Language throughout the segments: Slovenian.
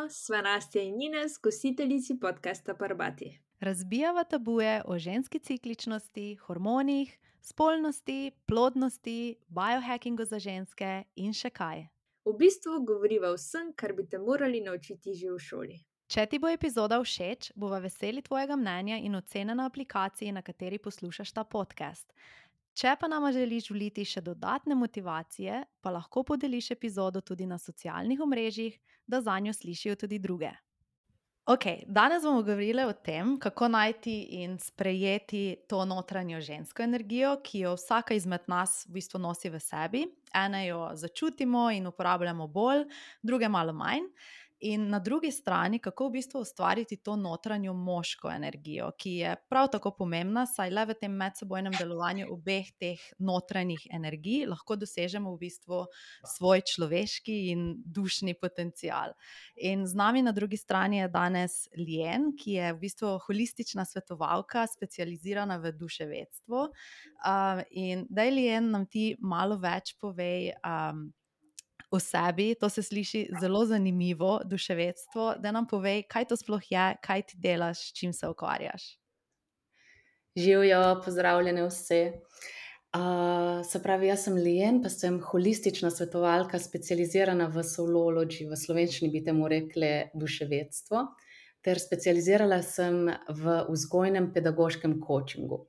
sva Nastja in Ines, gostiteljici podcasta Parbati. Razbijava tabuje o ženski cikličnosti, hormonih, spolnosti, plodnosti, biohackingu za ženske in še kaj. V bistvu govoriva o vsem, kar bi te morali naučiti že v šoli. Če ti bo epizoda všeč, bova veseli tvojega mnenja in ocene na aplikaciji, na kateri poslušaš ta podcast. Če pa nama želiš vliti še dodatne motivacije, pa lahko podeliš epizodo tudi na socialnih omrežjih, da zanjo slišijo tudi druge. Ok, danes bomo govorili o tem, kako najti in sprejeti to notranjo žensko energijo, ki jo vsaka izmed nas v bistvu nosi v sebi. Ene jo začutimo in uporabljamo bolj, druge malo manj. In na drugi strani, kako v bistvu ustvariti to notranjo moško energijo, ki je prav tako pomembna, saj le v tem medsebojnem delovanju obeh teh notranjih energij lahko dosežemo v bistvu svoj človeški in dušni potencial. In z nami na drugi strani je danes Lien, ki je v bistvu holistična svetovalka, specializirana v duševedstvo. In daj, Lien, nam ti malo več povej o sebi. To se sliši zelo zanimivo, duševedstvo. Da nam povej, kaj to sploh je, kaj ti delaš, s čim se ukvarjaš. Živjo, pozdravljene vse. Se pravi, jaz sem Lien, pa sem holistična svetovalka, specializirana v soulology, v slovenščini bi temu rekli duševedstvo, ter specializirala sem v vzgojnem pedagoškem coachingu.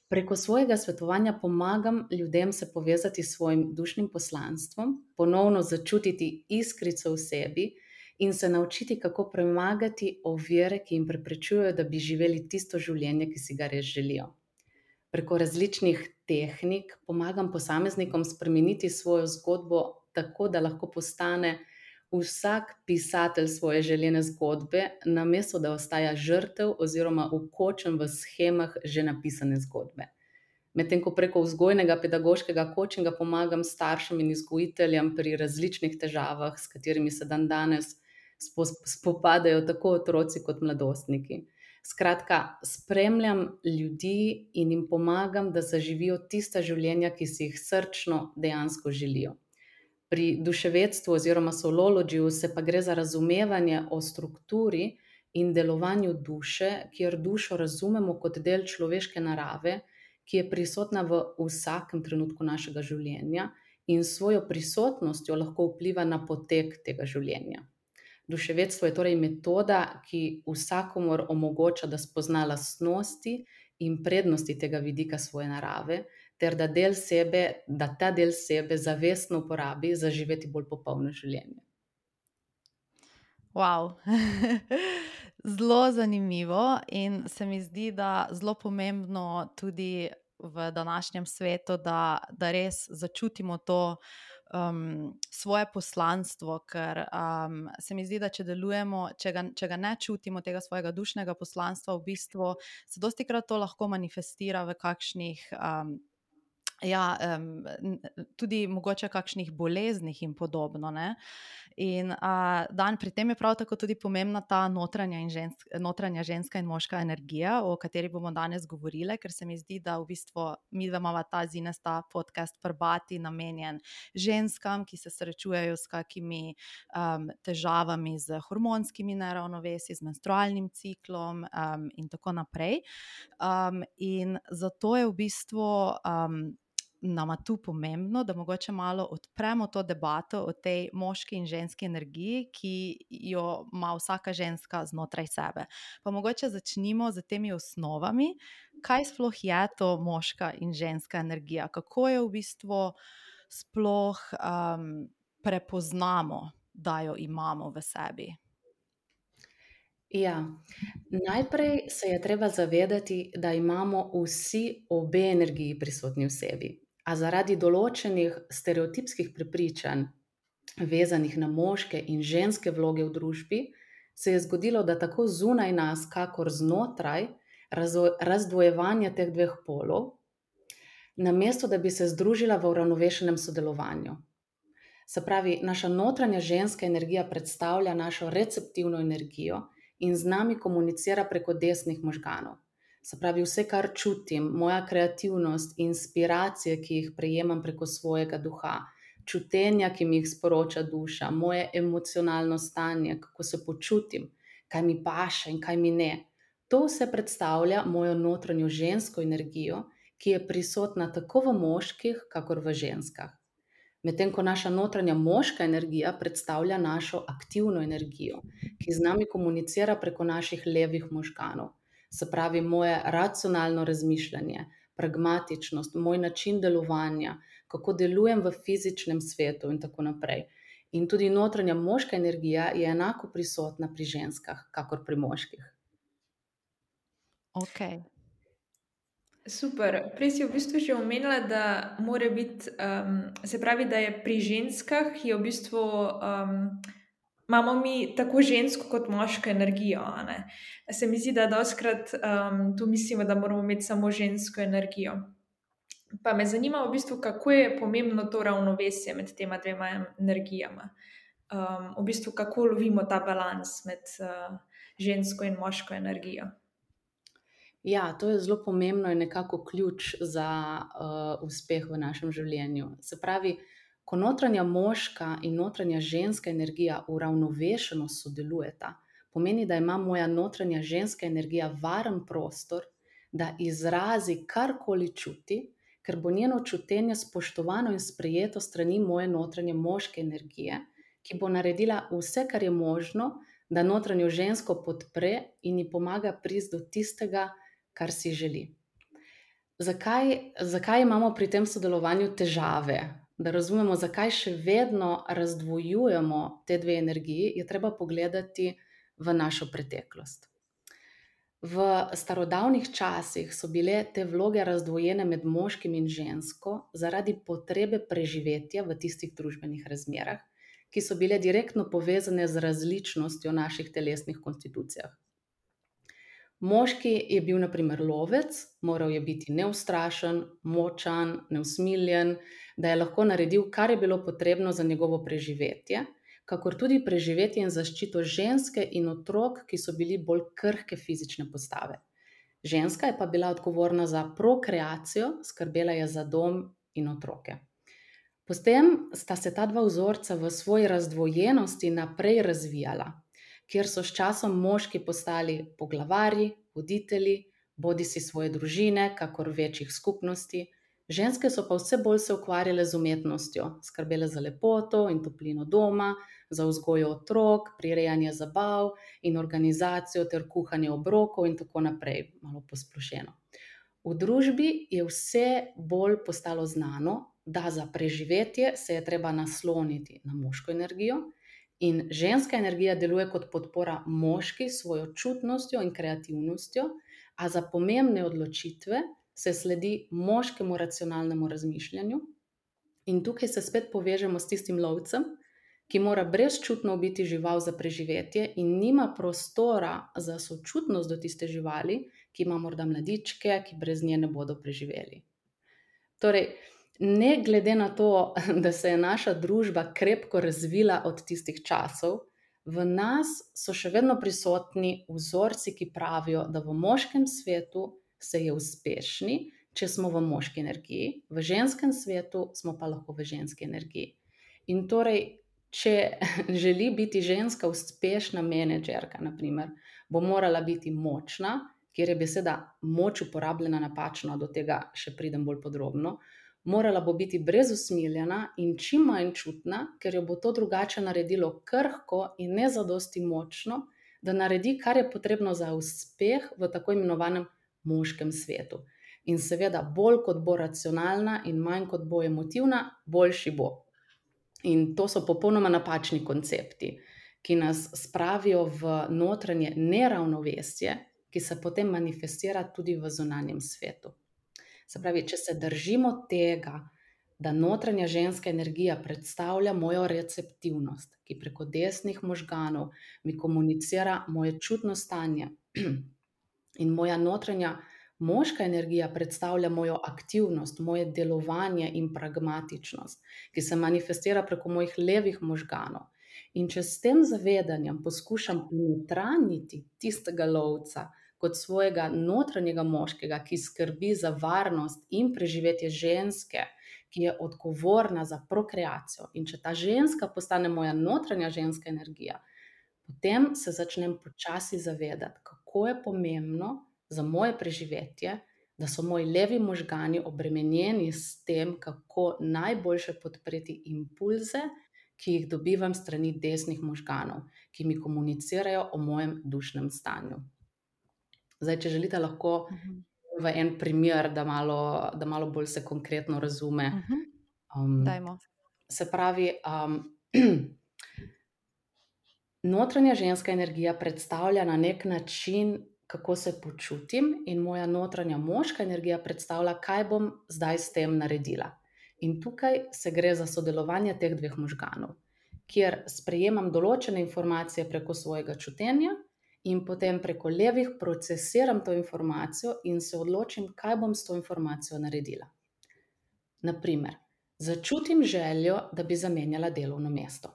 Preko svojega svetovanja pomagam ljudem se povezati s svojim dušnim poslanstvom, ponovno začutiti iskrico v sebi in se naučiti, kako premagati ovire, ki jim preprečujejo, da bi živeli tisto življenje, ki si ga res želijo. Preko različnih tehnik pomagam posameznikom spremeniti svojo zgodbo tako, da lahko postane vsak pisatelj svoje željene zgodbe, namesto da ostaja žrtev oziroma vkočen v shemah že napisane zgodbe. Medtem ko preko vzgojnega pedagoškega coachinga pomagam staršem in vzgojiteljem pri različnih težavah, s katerimi se dandanes spopadajo tako otroci kot mladostniki. Skratka, spremljam ljudi in jim pomagam, da zaživijo tista življenja, ki si jih srčno dejansko želijo. Pri duševedstvu oziroma soulologyju se pa gre za razumevanje o strukturi in delovanju duše, kjer dušo razumemo kot del človeške narave, ki je prisotna v vsakem trenutku našega življenja in s svojo prisotnostjo lahko vpliva na potek tega življenja. Duševedstvo je torej metoda, ki vsakomur omogoča, da spozna lastnosti in prednosti tega vidika svoje narave, ter da ta del sebe zavestno uporabi za živeti bolj popolno življenje. Wow. Zelo zanimivo in se mi zdi, da zelo pomembno tudi v današnjem svetu, da res začutimo to svoje poslanstvo, ker se mi zdi, da če delujemo, če ga ne čutimo, tega svojega dušnega poslanstva, v bistvu se dostikrat to lahko manifestira v kakšnih tudi mogoče kakšnih boleznih in podobno, ne. In pri tem je prav tako tudi pomembna ta notranja ženska in moška energija, o kateri bomo danes govorile, ker se mi zdi, da v bistvu midva imava ta podcast Parbati namenjen ženskam, ki se srečujejo s kakimi težavami z hormonskimi neravnovesji, z menstrualnim ciklom in tako naprej. In zato je v bistvu nama tu pomembno, da mogoče malo odpremo to debato o tej moški in ženski energiji, ki jo ima vsaka ženska znotraj sebe. Pa mogoče začnimo z temi osnovami, kaj sploh je to moška in ženska energija, kako jo v bistvu sploh prepoznamo, da jo imamo v sebi. Ja, najprej se je treba zavedati, da imamo vsi obe energiji prisotni v sebi. A zaradi določenih stereotipskih prepričanj, vezanih na moške in ženske vloge v družbi, se je zgodilo, da tako zunaj nas, kakor znotraj, razdvojevanje teh dveh polov, namesto da bi se združila v uravnovešenem sodelovanju. Se pravi, naša notranja ženska energija predstavlja našo receptivno energijo in z nami komunicira preko desnih možganov. Se pravi, vse, kar čutim, moja kreativnost, inspiracije, ki jih prejemam preko svojega duha, čutenja, ki mi jih sporoča duša, moje emocionalno stanje, kako se počutim, kaj mi paše in kaj mi ne. To vse predstavlja mojo notranjo žensko energijo, ki je prisotna tako v moških, kakor v ženskah. Medtem ko naša notranja moška energija predstavlja našo aktivno energijo, ki z nami komunicira preko naših levih možganov. Se pravi, moje racionalno razmišljanje, pragmatičnost, moj način delovanja, kako delujem v fizičnem svetu in tako naprej. In tudi notranja moška energija je enako prisotna pri ženskah, kakor pri moških. Ok. Super. Prej si v bistvu že omenila, da mora biti, se pravi, da je pri ženskah je v bistvu, imamo mi tako žensko kot moško energijo, a ne. Se mi zdi, da dostikrat, tu mislimo, da moramo imeti samo žensko energijo. Pa me zanima v bistvu, kako je pomembno to ravnovesje med tema dvema energijama. V bistvu, kako lovimo ta balans med, žensko in moško energijo. Ja, to je zelo pomembno in nekako ključ za uspeh v našem življenju. Se pravi, ko notranja moška in notranja ženska energija uravnovešeno sodelujeta, pomeni, da ima moja notranja ženska energija varen prostor, da izrazi karkoli čuti, ker bo njeno čutenje spoštovano in sprejeto strani moje notranje moške energije, ki bo naredila vse, kar je možno, da notranjo žensko podpre in ji pomaga priti do tistega, kar si želi. Zakaj imamo pri tem sodelovanju težave? Da razumemo, zakaj še vedno razdvojujemo te dve energiji, je treba pogledati v našo preteklost. V starodavnih časih so bile te vloge razdvojene med moškim in žensko zaradi potrebe preživetja v tistih družbenih razmerah, ki so bile direktno povezane z različnostjo naših telesnih konstitucijah. Moški je bil na primer lovec, moral je biti neustrašen, močan, neusmiljen, da je lahko naredil, kar je bilo potrebno za njegovo preživetje, kakor tudi preživetje in zaščito ženske in otrok, ki so bili bolj krhke fizične postave. Ženska je pa bila odgovorna za prokreacijo, skrbela je za dom in otroke. Potem sta se ta dva vzorca v svoji razdvojenosti naprej razvijala, kjer so s časom moški postali poglavarji, voditelji, bodisi svoje družine, kakor večjih skupnosti. Ženske so pa vse bolj se ukvarjale z umetnostjo, skrbele za lepoto in toplino doma, za vzgojo otrok, prirejanje zabav in organizacijo ter kuhanje obrokov in tako naprej, malo posplošeno. V družbi je vse bolj postalo znano, da za preživetje se je treba nasloniti na moško energijo, in ženska energija deluje kot podpora moški s svojo čutnostjo in kreativnostjo, a za pomembne odločitve se sledi moškemu racionalnemu razmišljanju. In tukaj se spet povežemo s tistim lovcem, ki mora brezčutno ubiti žival za preživetje in nima prostora za sočutnost do tiste živali, ki ima morda mladičke, ki brez nje ne bodo preživeli. Torej, ne glede na to, da se je naša družba krepko razvila od tistih časov, v nas so še vedno prisotni vzorci, ki pravijo, da v moškem svetu se je uspešni, če smo v moški energiji, v ženskem svetu smo pa lahko v ženski energiji. In torej, če želi biti ženska uspešna menedžerka, na primer, bo morala biti močna, kjer je beseda moč uporabljena napačno, do tega še pridem bolj podrobno. Morala bo biti brezusmiljena in čim manj čutna, ker jo bo to drugače naredilo krhko in ne zadosti močno, da naredi, kar je potrebno za uspeh v tako imenovanem moškem svetu. In seveda, bolj kot bo racionalna in manj kot bo emotivna, boljši bo. In to so popolnoma napačni koncepti, ki nas spravijo v notranje neravnovesje, ki se potem manifestira tudi v zunanjem svetu. Se pravi, če se držimo tega, da notranja ženska energija predstavlja mojo receptivnost, ki preko desnih možganov mi komunicira moje čutno stanje, in moja notranja moška energija predstavlja mojo aktivnost, moje delovanje in pragmatičnost, ki se manifestira preko mojih levih možganov. In če s tem zavedanjem poskušam ponotranjiti tistega lovca kot svojega notranjega moškega, ki skrbi za varnost in preživetje ženske, ki je odgovorna za prokreacijo. In če ta ženska postane moja notranja ženska energija, potem se začnem počasi zavedati, kako je pomembno za moje preživetje, da so moji levi možgani obremenjeni s tem, kako najboljše podpreti impulze, ki jih dobivam strani desnih možganov, ki mi komunicirajo o mojem dušnem stanju. Zdaj, če želite, lahko v en primer, da malo bolj se konkretno razume. Dajmo. Se pravi, notranja ženska energija predstavlja na nek način, kako se počutim, in moja notranja moška energija predstavlja, kaj bom zdaj s tem naredila. In tukaj se gre za sodelovanje teh dveh možganov, kjer sprejemam določene informacije preko svojega čutenja in potem preko levih procesiram to informacijo in se odločim, kaj bom s to informacijo naredila. Naprimer, začutim željo, da bi zamenjala delovno mesto.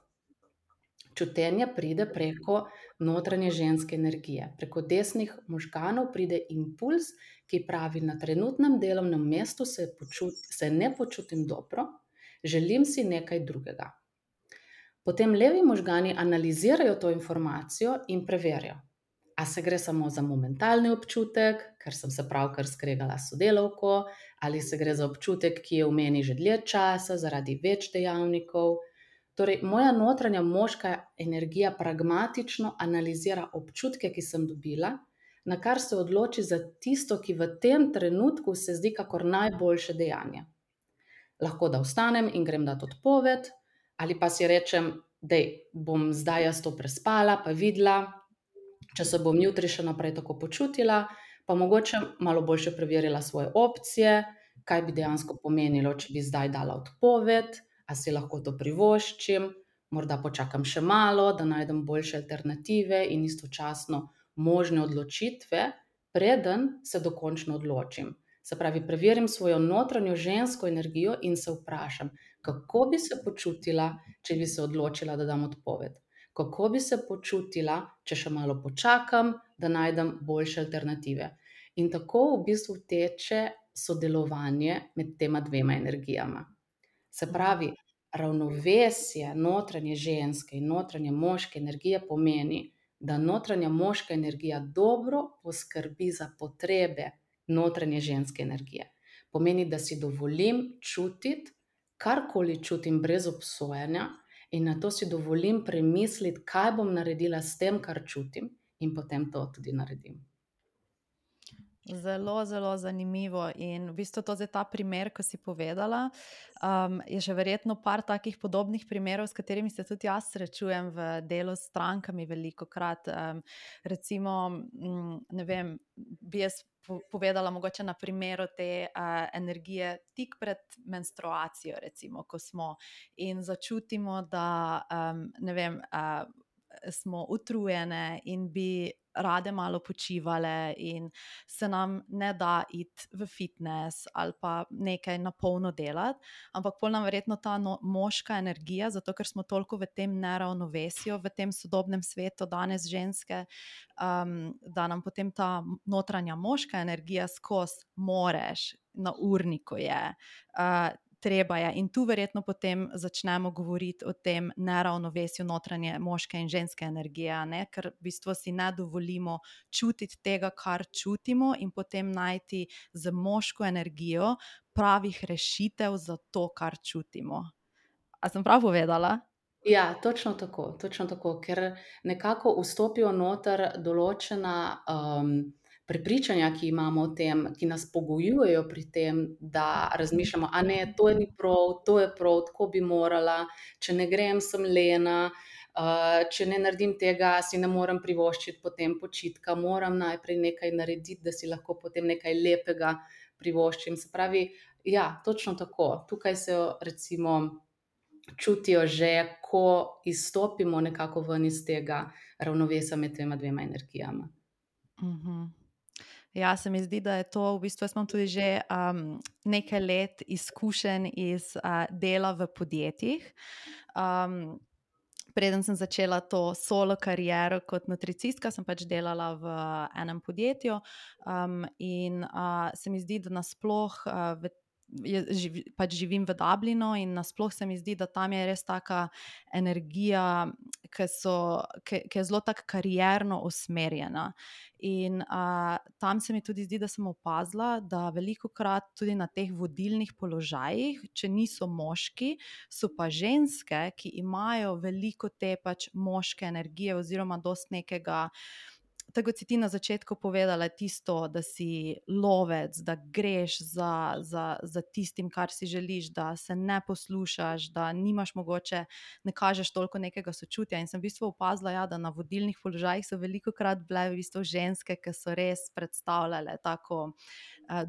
Čutenje pride preko notranje ženske energije. Preko desnih možganov pride impuls, ki pravi, na trenutnem delovnem mestu se ne počutim dobro, želim si nekaj drugega. Potem levi možgani analizirajo to informacijo in preverijo, a se gre samo za momentalni občutek, ker sem se pravkar skregala s sodelavko, ali se gre za občutek, ki je v meni že dlje časa zaradi več dejavnikov. Torej, moja notranja moška energija pragmatično analizira občutke, ki sem dobila, na kar se odloči za tisto, ki v tem trenutku se zdi kakor najboljše dejanje. Lahko da vstanem in grem dat odpoved, ali pa si rečem, da bom zdaj jaz to prespala, pa videla, če se bom jutri še naprej tako počutila, pa mogoče malo boljše preverila svoje opcije, kaj bi dejansko pomenilo, če bi zdaj dala odpoved, a si lahko to privoščim, morda počakam še malo, da najdem boljše alternative in istočasno možne odločitve, preden se dokončno odločim. Se pravi, preverim svojo notranjo žensko energijo in se vprašam, kako bi se počutila, če bi se odločila, da dam odpoved. Kako bi se počutila, če še malo počakam, da najdem boljše alternative. In tako v bistvu teče sodelovanje med tema dvema energijama. Se pravi, ravnovesje notranje ženske in notranje moške energije pomeni, da notranja moška energija dobro poskrbi za potrebe notranje ženske energije. Pomeni, da si dovolim čutiti, karkoli čutim brez obsojanja, in na to si dovolim premisliti, kaj bom naredila s tem, kar čutim, in potem to tudi naredim. Zelo, zelo zanimivo. In v bistvu to ta primer, ko si povedala, je že verjetno par takih podobnih primerov, s katerimi se tudi jaz srečujem v delu s strankami velikokrat. Recimo, ne vem, bi jaz povedala mogoče na primeru te energije tik pred menstruacijo, recimo, ko smo in začutimo, da ne vem, smo utrujene in bi rade malo počivale in se nam ne da iti v fitness ali pa nekaj na polno delati, ampak pol nam verjetno ta moška energija, zato ker smo toliko v tem neravnovesju, v tem sodobnem svetu danes ženske, da nam potem ta notranja moška energija skozi moreš, na urniku je, treba je. In tu verjetno potem začnemo govoriti o tem neravnovesju notranje moške in ženske energije, ne? Ker v bistvu si ne dovolimo čutiti tega, kar čutimo, in potem najti z moško energijo pravih rešitev za to, kar čutimo. A sem prav povedala? Ja, točno tako, ker nekako vstopijo noter določena prepričanja, ki imamo o tem, ki nas pogojujejo pri tem, da razmišljamo, a ne, to ni prav, to je prav, tako bi morala, če ne grem, sem lena, če ne naredim tega, si ne morem privoščiti potem počitka, moram najprej nekaj narediti, da si lahko potem nekaj lepega privoščim. Se pravi, ja, točno tako. Tukaj se recimo čutijo že, ko izstopimo nekako ven iz tega ravnovesja med tema dvema energijama. Ja, se mi zdi, da je to v bistvu, jaz imam tudi že nekaj let izkušenj iz dela v podjetjih. Preden sem začela to solo kariero kot nutricistka, sem pač delala v enem podjetju, in se mi zdi, da nasploh pač živim v Dublinu in nasploh se mi zdi, da tam je res taka energija, ki je zelo tako karierno usmerjena. In tam se mi tudi zdi, da sem opazila, da velikokrat tudi na teh vodilnih položajih, če niso moški, so pa ženske, ki imajo veliko te pač moške energije oziroma dosti nekega, tako kot si ti na začetku povedala, tisto, da si lovec, da greš za tistim, kar si želiš, da se ne poslušaš, da nimaš mogoče, ne kažeš toliko nekega sočutja. In sem v bistvu opazila, ja, da na vodilnih položajih so velikokrat bile v bistvu ženske, ki so res predstavljale tako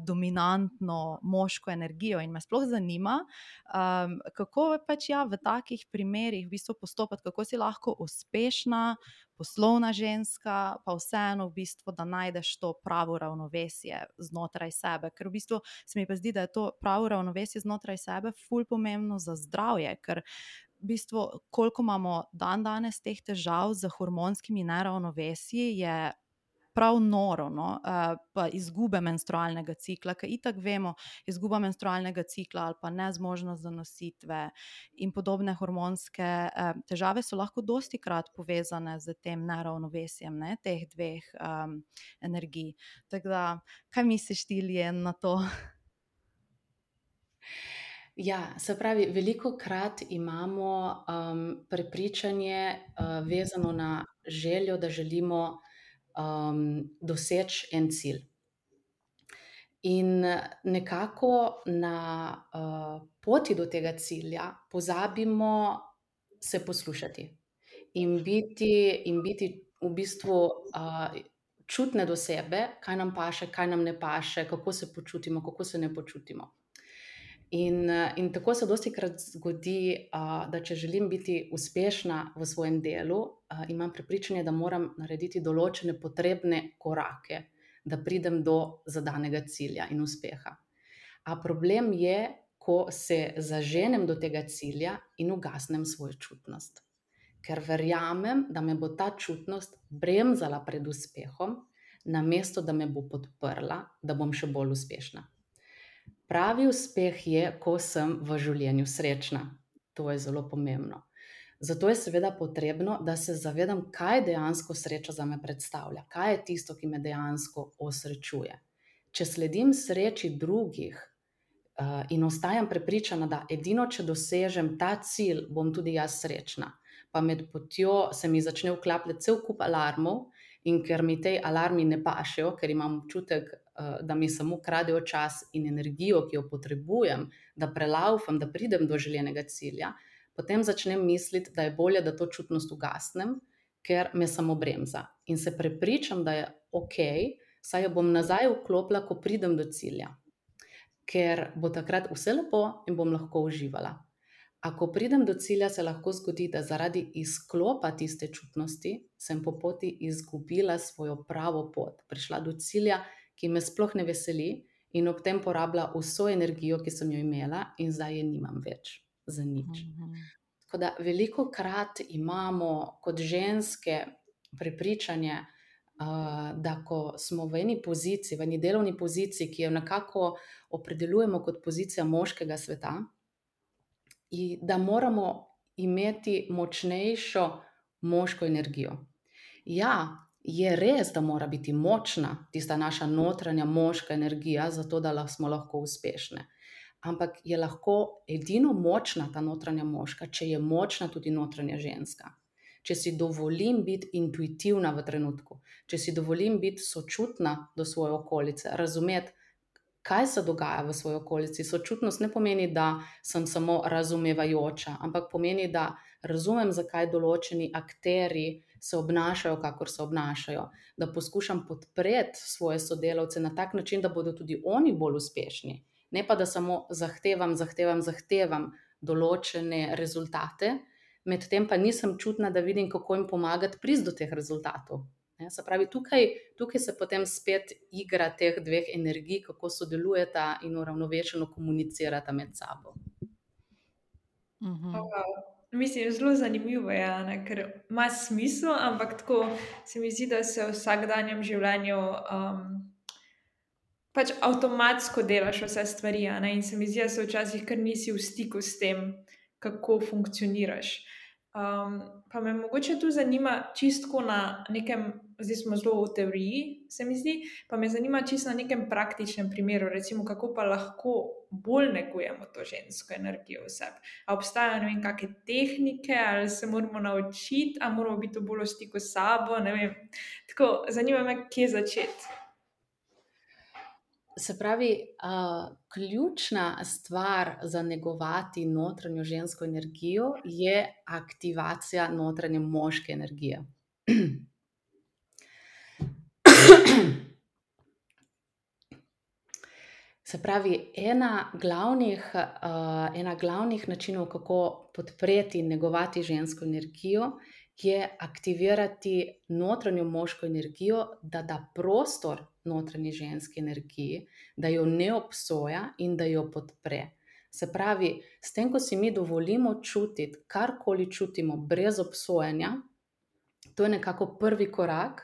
dominantno moško energijo. In me sploh zanima, kako pač v takih primerih v bistvu postopati, kako si lahko uspešna, poslovna ženska, pa vseeno v bistvu, da najdeš to pravo ravnovesje znotraj sebe. Ker v bistvu se mi pa zdi, da je to pravo ravnovesje znotraj sebe ful pomembno za zdravje, ker v bistvu, koliko imamo danes teh težav z hormonskimi neravnovesji, je prav noro, no? Pa izgube menstrualnega cikla, ker itak vemo, izguba menstrualnega cikla ali pa nezmožnost zanositve in podobne hormonske težave so lahko dostikrat povezane z tem neravnovesjem, ne, teh dveh energij. Tako da, kaj misliš ti, Lien, na to? Ja, se pravi, velikokrat imamo prepričanje vezano na željo, da želimo doseči en cilj. In nekako na poti do tega cilja pozabimo se poslušati in biti v bistvu čutne do sebe, kaj nam paše, kaj nam ne paše, kako se počutimo, kako se ne počutimo. In tako se dostikrat zgodi, da če želim biti uspešna v svojem delu, imam prepričanje, da moram narediti določene potrebne korake, da pridem do zadanega cilja in uspeha. A problem je, ko se zaženem do tega cilja in ugasnem svojo čutnost. Ker verjamem, da me bo ta čutnost bremzala pred uspehom, namesto da me bo podprla, da bom še bolj uspešna. Pravi uspeh je, ko sem v življenju srečna. To je zelo pomembno. Zato je seveda potrebno, da se zavedam, kaj dejansko sreča zame predstavlja, kaj je tisto, ki me dejansko osrečuje. Če sledim sreči drugih in ostajam prepričana, da edino, če dosežem ta cilj, bom tudi jaz srečna, pa med potjo se mi začne vklapljati cel kup alarmov, in ker mi te alarmi ne pašejo, ker imam občutek, da mi samo kradejo čas in energijo, ki jo potrebujem, da prelaufam, da pridem do željenega cilja, potem začnem misliti, da je bolje, da to čutnost ugasnem, ker me samo bremza. In se prepričam, da je okej, saj jo bom nazaj vklopila, ko pridem do cilja. Ker bo takrat vse lepo in bom lahko uživala. A ko pridem do cilja, se lahko zgodi, da zaradi izklopa tiste čutnosti sem po poti izgubila svojo pravo pot, prišla do cilja, ki me sploh ne veseli, in ob tem porabila vso energijo, ki sem jo imela, in zdaj je nimam več za nič. Tako da velikokrat imamo kot ženske prepričanje, da ko smo v eni poziciji, v eni delovni poziciji, ki jo nekako opredeljujemo kot pozicija moškega sveta, in da moramo imeti močnejšo moško energijo. Ja, je res, da mora biti močna tista naša notranja moška energija, zato da smo lahko uspešne. Ampak je lahko edino močna ta notranja moška, če je močna tudi notranja ženska. Če si dovolim biti intuitivna v trenutku, če si dovolim biti sočutna do svoje okolice, razumeti, kaj se dogaja v svoji okolici. Sočutnost ne pomeni, da sem samo razumevajoča, ampak pomeni, da razumem, zakaj določeni akterji se obnašajo, kakor se obnašajo, da poskušam podpreti svoje sodelavce na tak način, da bodo tudi oni bolj uspešni, ne pa da samo zahtevam določene rezultate, medtem pa nisem čutna, da vidim, kako jim pomagati priti do teh rezultatov. Se pravi, tukaj se potem spet igra teh dveh energij, kako sodelujeta in uravnovešeno komunicirata med sabo. Mislim, zelo zanimivo je, ne? Ker ima smisel, ampak tako se mi zdi, da se v vsakdanjem življenju pač avtomatsko delaš vse stvari, a ne? In se mi zdi, da se včasih kar nisi v stiku s tem, kako funkcioniraš. Pa me mogoče tu zanima čisto na nekem, zdaj smo zelo v teoriji, se mi zdi, pa me zanima čisto na nekem praktičnem primeru, recimo, kako pa lahko bolj negujemo to žensko energijo v sebi. A obstajajo, ne vem, kakšne tehnike, ali se moramo naučiti, ali moramo biti bolj v stiku s sabo, ne vem. Tako, zanima me, kje začeti. Se pravi, ključna stvar za negovati notranjo žensko energijo je aktivacija notranje moške energije. Se pravi, ena glavnih načinov, kako podpreti in negovati žensko energijo, je aktivirati notranjo moško energijo, da da prostor notranji ženski energiji, da jo ne obsoja in da jo podpre. Se pravi, s tem, ko si mi dovolimo čutiti, karkoli čutimo brez obsojanja, to je nekako prvi korak,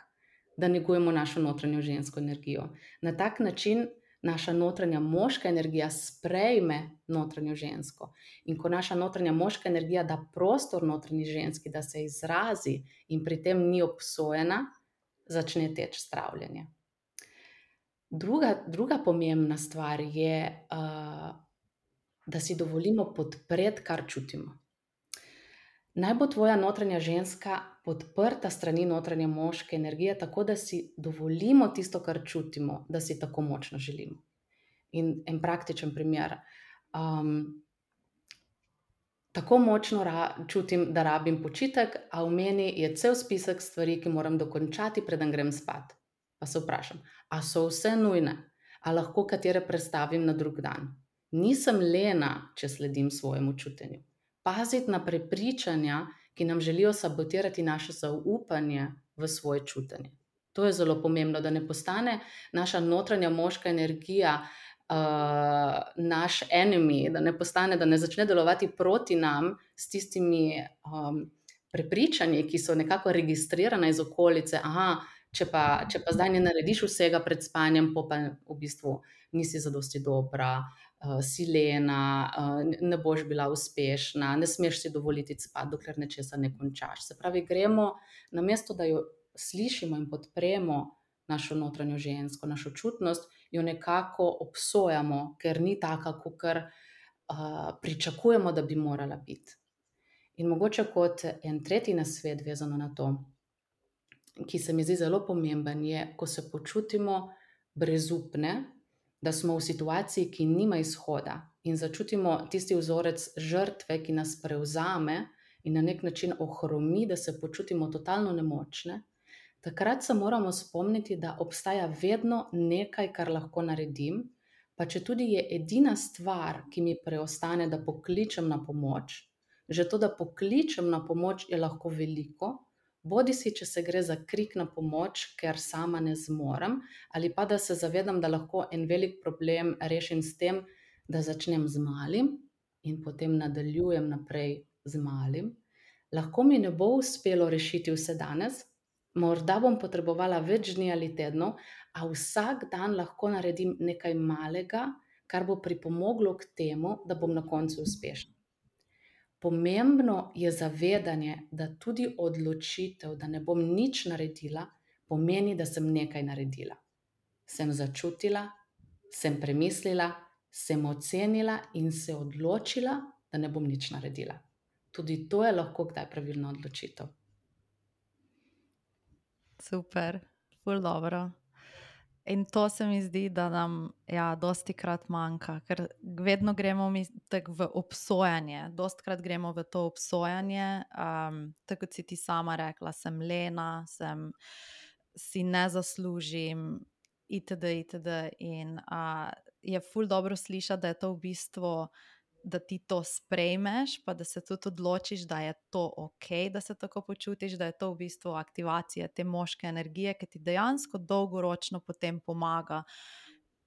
da negujemo našo notranjo žensko energijo. Na tak način naša notranja moška energija sprejme notranjo žensko. In ko naša notranja moška energija da prostor notranji ženski, da se izrazi in pri tem ni obsojena, začne teči zdravljenje. Druga pomembna stvar je, da si dovolimo podpreti, kar čutimo. Naj bo tvoja notranja ženska podprta strani notranje moške energije, tako da si dovolimo tisto, kar čutimo, da si tako močno želimo. In en praktičen primer. Tako močno čutim, da rabim počitek, a v meni je cel spisek stvari, ki moram dokončati, preden grem spat. Pa se vprašam, a so vse nujne? A lahko katere prestavim na drug dan? Nisem lena, če sledim svojemu čutenju. Paziti na prepričanja, ki nam želijo sabotirati naše zaupanje v svoje čutenje. To je zelo pomembno, da ne postane naša notranja moška energija naš enemy, da ne začne delovati proti nam s tistimi prepričanji, ki so nekako registrirane iz okolice. Če pa zdaj ne narediš vsega pred spanjem, pa v bistvu nisi zadosti dobra, si lena, ne boš bila uspešna, ne smeš si dovoliti spati, dokler nečesa ne končaš. Se pravi, gremo, namesto da jo slišimo in podpremo našo notranjo žensko, našo čutnost, jo nekako obsojamo, ker ni taka, kakor pričakujemo, da bi morala biti. In mogoče kot en tretji nasvet vezano na to, ki se mi zdi zelo pomemben, je, ko se počutimo brezupne, da smo v situaciji, ki nima izhoda, in začutimo tisti vzorec žrtve, ki nas prevzame in na nek način ohromi, da se počutimo totalno nemočne, takrat se moramo spomniti, da obstaja vedno nekaj, kar lahko naredim, pa če tudi je edina stvar, ki mi preostane, da pokličem na pomoč. Že to, da pokličem na pomoč, je lahko veliko, bodisi če se gre za krik na pomoč, ker sama ne zmorem, ali pa da se zavedam, da lahko en velik problem rešim s tem, da začnem z malim in potem nadaljujem naprej z malim. Lahko mi ne bo uspelo rešiti vse danes, morda bom potrebovala več dni ali tednov, a vsak dan lahko naredim nekaj malega, kar bo pripomoglo k temu, da bom na koncu uspešna. Pomembno je zavedanje, da tudi odločitev, da ne bom nič naredila, pomeni, da sem nekaj naredila. Sem začutila, sem premislila, sem ocenila in se odločila, da ne bom nič naredila. Tudi to je lahko kdaj pravilna odločitev. Super, ful dobro. In to se mi zdi, da nam dostikrat manjka, ker vedno gremo tako v obsojanje, dostikrat gremo v to obsojanje, tako kot si ti sama rekla, sem lena, si ne zaslužim, itd. In je ful dobro slišati, da je to v bistvu, da ti to sprejmeš, pa da se tudi odločiš, da je to ok, da se tako počutiš, da je to v bistvu aktivacija te moške energije, ki ti dejansko dolgoročno potem pomaga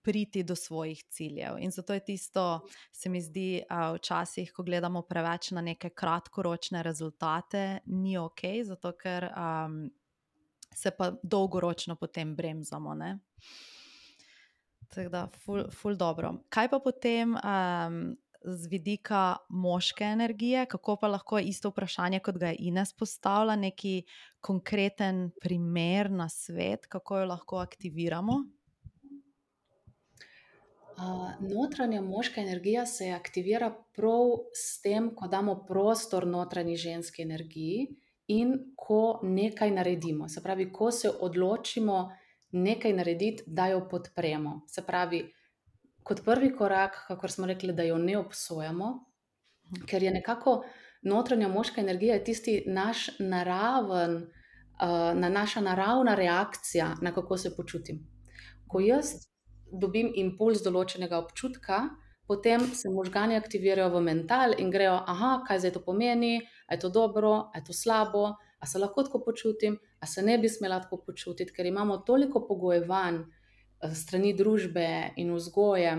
priti do svojih ciljev. In zato je tisto, se mi zdi, včasih, ko gledamo preveč na neke kratkoročne rezultate, ni ok, zato ker se pa dolgoročno potem bremzamo, ne? Tako da, ful dobro. Kaj pa potem z vidika moške energije, kako pa lahko isto vprašanje, kot ga je Ines postavila, neki konkreten primer na svet, kako jo lahko aktiviramo? Notranja moška energija se aktivira prav s tem, ko damo prostor notranji ženski energiji in ko nekaj naredimo. Se pravi, ko se odločimo nekaj narediti, da jo podpremo. Se pravi, kot prvi korak, kakor smo rekli, da jo ne obsojamo, ker je nekako notranja moška energija tisti naš naša naravna reakcija, na kako se počutim. Ko jaz dobim impuls določenega občutka, potem se možgani aktivirajo v mental in grejo, kaj zdaj to pomeni, a je to dobro, a je to slabo, a se lahko tako počutim, a se ne bi smela tako počutiti, ker imamo toliko pogojevanj strani družbe in vzgoje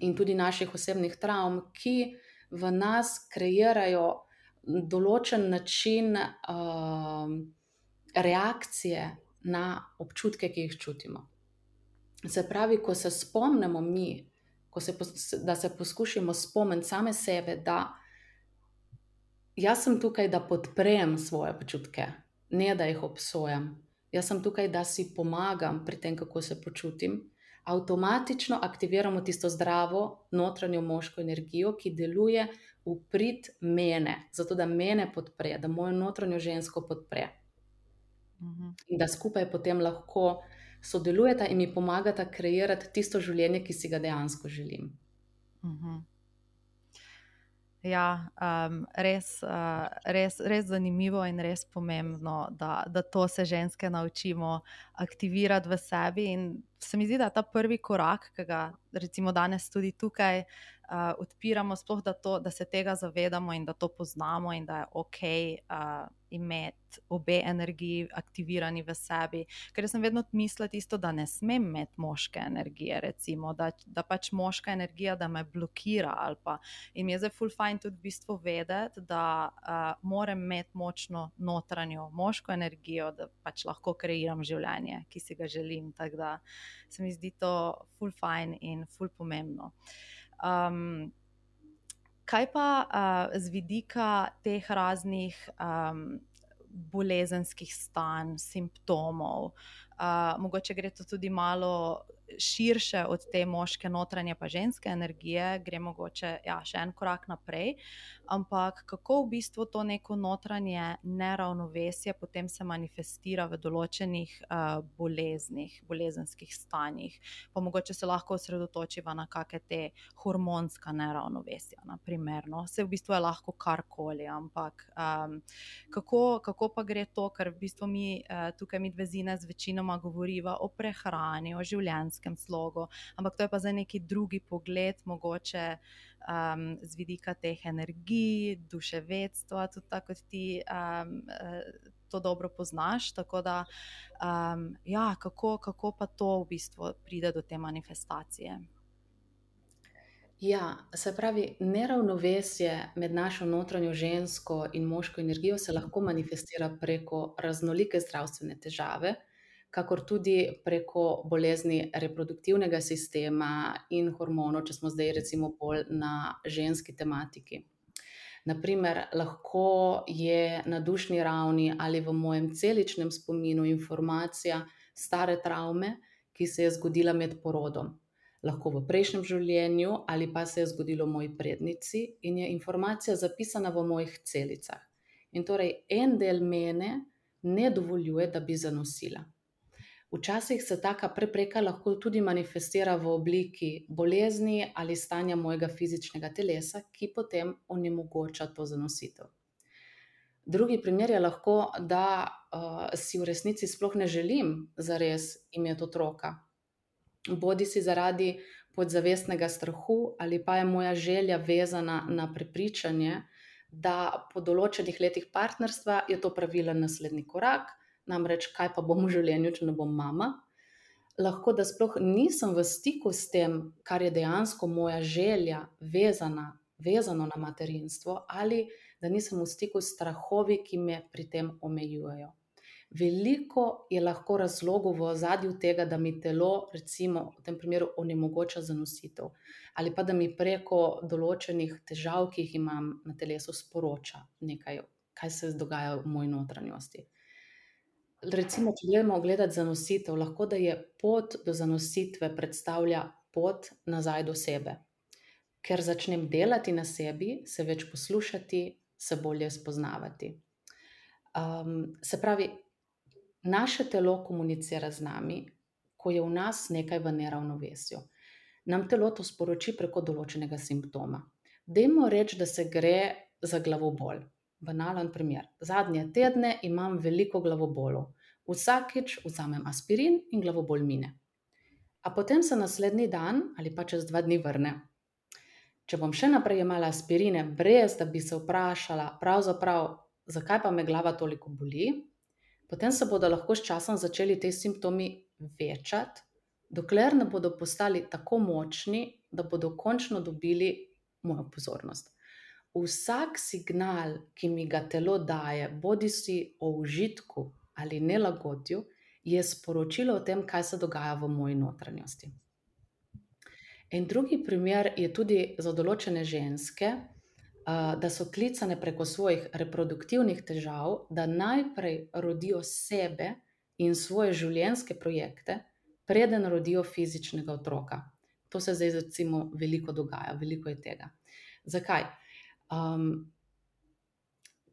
in tudi naših osebnih travm, ki v nas kreirajo določen način reakcije na občutke, ki jih čutimo. Se pravi, ko se spomnimo mi, da se poskušamo spomniti same sebe, da jaz sem tukaj, da podprem svoje občutke, ne da jih obsojam. Jaz sem tukaj, da si pomagam pri tem, kako se počutim. Avtomatično aktiviramo tisto zdravo notranjo moško energijo, ki deluje v prid mene, zato da mene podpre, da mojo notranjo žensko podpre. In da skupaj potem lahko sodelujeta in mi pomagata kreirati tisto življenje, ki si ga dejansko želim. Ja, res zanimivo in res pomembno, da to se ženske naučimo aktivirati v sebi. In se mi zdi, da ta prvi korak, ki ga recimo danes tudi tukaj odpiramo, sploh da se tega zavedamo in da to poznamo in da je okej imeti obe energiji aktivirani v sebi. Ker sem vedno mislila tisto, da ne smem imeti moške energije, recimo, da pač moška energija, da me blokira ali pa. In mi je zdaj ful fajn tudi v bistvu vedeti, da moram imeti močno notranjo moško energijo, da pač lahko kreiram življenje, ki si ga želim. Tako da se mi zdi to ful fajn in ful pomembno. Kaj pa z vidika teh raznih bolezenskih stanj, simptomov, mogoče gre to tudi malo širše od te moške notranje pa ženske energije, gre mogoče še en korak naprej, ampak kako v bistvu to neko notranje neravnovesje potem se manifestira v določenih boleznih, bolezenskih stanjih, pa mogoče se lahko osredotočiva na kakšne te hormonska neravnovesja, na primer, no? Se v bistvu je lahko karkoli, ampak kako pa gre to, ker v bistvu mi tukaj mi dve Zines večinoma govoriva o prehrani, o življenjskem slogu, ampak to je pa zdaj neki drugi pogled, mogoče z vidika teh energij, duševedstva, tudi tako kot ti to dobro poznaš, tako da kako pa to v bistvu pride do te manifestacije? Ja, se pravi, neravnovesje med našo notranjo žensko in moško energijo se lahko manifestira preko raznolike zdravstvene težave, kakor tudi preko bolezni reproduktivnega sistema in hormonov, če smo zdaj recimo bolj na ženski tematiki. Naprimer, lahko je na dušni ravni ali v mojem celičnem spominu informacija stare travme, ki se je zgodila med porodom. Lahko v prejšnjem življenju ali pa se je zgodilo moji prednici in je informacija zapisana v mojih celicah. In torej en del mene ne dovoljuje, da bi zanosila. Včasih se taka prepreka lahko tudi manifestira v obliki bolezni ali stanja mojega fizičnega telesa, ki potem onemogoča to zanositev. Drugi primer je lahko, da si v resnici sploh ne želim zares imeti otroka. Bodi si zaradi podzavestnega strahu ali pa je moja želja vezana na prepričanje, da po določenih letih partnerstva je to pravilen naslednji korak, namreč kaj pa bom v življenju, če ne bom mama. Lahko, da sploh nisem v stiku s tem, kar je dejansko moja želja vezano na materinstvo, ali da nisem v stiku s strahovi, ki me pri tem omejujejo. Veliko je lahko razlogov v ozadju tega, da mi telo, recimo v tem primeru, onemogoča zanositev, ali pa da mi preko določenih težav, ki jih imam na telesu, sporoča nekaj, kaj se dogaja v moji notranjosti. Recimo, če gremo gledati zanositev, lahko da je pot do zanositve predstavlja pot nazaj do sebe. Ker začnem delati na sebi, se več poslušati, se bolje spoznavati. Se pravi, naše telo komunicira z nami, ko je v nas nekaj v neravnovesju. Nam telo to sporoči preko določenega simptoma. Dajmo reči, da se gre za glavobol. Banalen primer. Zadnje tedne imam veliko glavobolov. Vsakič vzamem aspirin in glavobol mine. A potem se naslednji dan ali pa čez 2 dni vrne. Če bom še naprej jemala aspirine, brez da bi se vprašala, pravzaprav, zakaj pa me glava toliko boli, potem se bodo lahko s časom začeli te simptomi večati, dokler ne bodo postali tako močni, da bodo končno dobili mojo pozornost. Vsak signal, ki mi ga telo daje, bodisi o užitku ali nelagodju, je sporočilo o tem, kaj se dogaja v moji notranjosti. In drugi primer je tudi za določene ženske, da so klicane preko svojih reproduktivnih težav, da najprej rodijo sebe in svoje življenjske projekte, preden rodijo fizičnega otroka. To se zdaj recimo veliko dogaja, veliko je tega. Zakaj?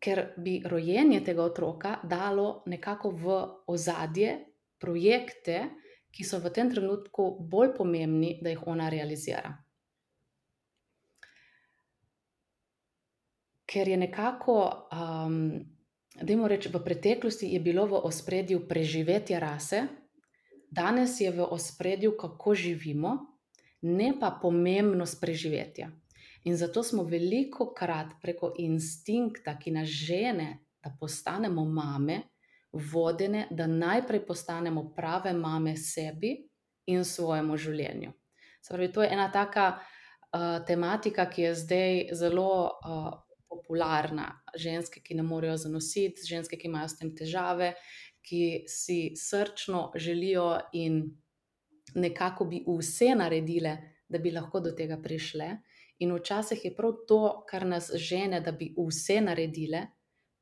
Ker bi rojenje tega otroka dalo nekako v ozadje projekte, ki so v tem trenutku bolj pomembni, da jih ona realizira. Ker je nekako, dajmo reči, v preteklosti je bilo v ospredju preživetje rase, danes je v ospredju, kako živimo, ne pa pomembnost preživetja. In zato smo velikokrat preko instinkta, ki nas žene, da postanemo mame, vodene, da najprej postanemo prave mame sebi in svojemu življenju. Se pravi, to je ena taka tematika, ki je zdaj zelo popularna. Ženske, ki ne morejo zanositi, ženske, ki imajo s tem težave, ki si srčno želijo in nekako bi vse naredile, da bi lahko do tega prišle. In včasih je prav to, kar nas žene, da bi vse naredile,